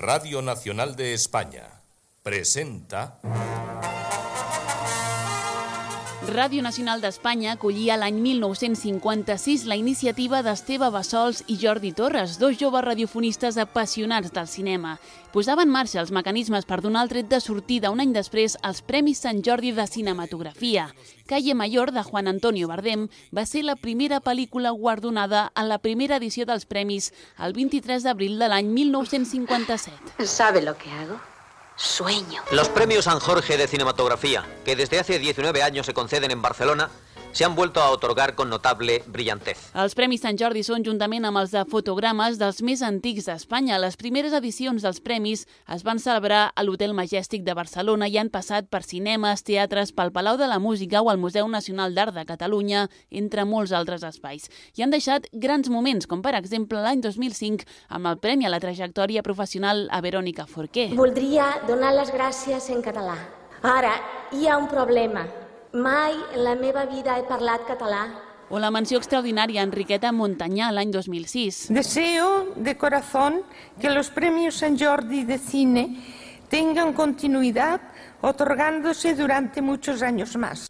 Radio Nacional de España presenta... Ràdio Nacional d'Espanya acollia l'any 1956 la iniciativa d'Esteve Bassols i Jordi Torres, dos joves radiofonistes apassionats del cinema. Posava en marxa els mecanismes per donar el tret de sortida un any després als Premis Sant Jordi de Cinematografia. Calle Mayor, de Juan Antonio Bardem, va ser la primera pel·lícula guardonada en la primera edició dels premis el 23 d'abril de l'any 1957. ¿Sabe lo que hago? Sueño. Los premios San Jorge de Cinematografía, que desde hace 19 años se conceden en Barcelona, se han vuelto a otorgar con notable brillantez. Els Premis Sant Jordi són, juntament amb els de fotogrames, dels més antics d'Espanya. Les primeres edicions dels premis es van celebrar a l'Hotel Majestic de Barcelona i han passat per cinemes, teatres, pel Palau de la Música o el Museu Nacional d'Art de Catalunya, entre molts altres espais. I han deixat grans moments, com per exemple l'any 2005 amb el Premi a la Trajectòria Professional a Verònica Forqué. Voldria donar les gràcies en català. Ara, hi ha un problema. Mai en la meva vida he parlat català. O la menció extraordinària a Enriqueta Montanyà l'any 2006. Deseo de corazón que los premios San Jordi de cine tengan continuidad, otorgándose durante muchos años más.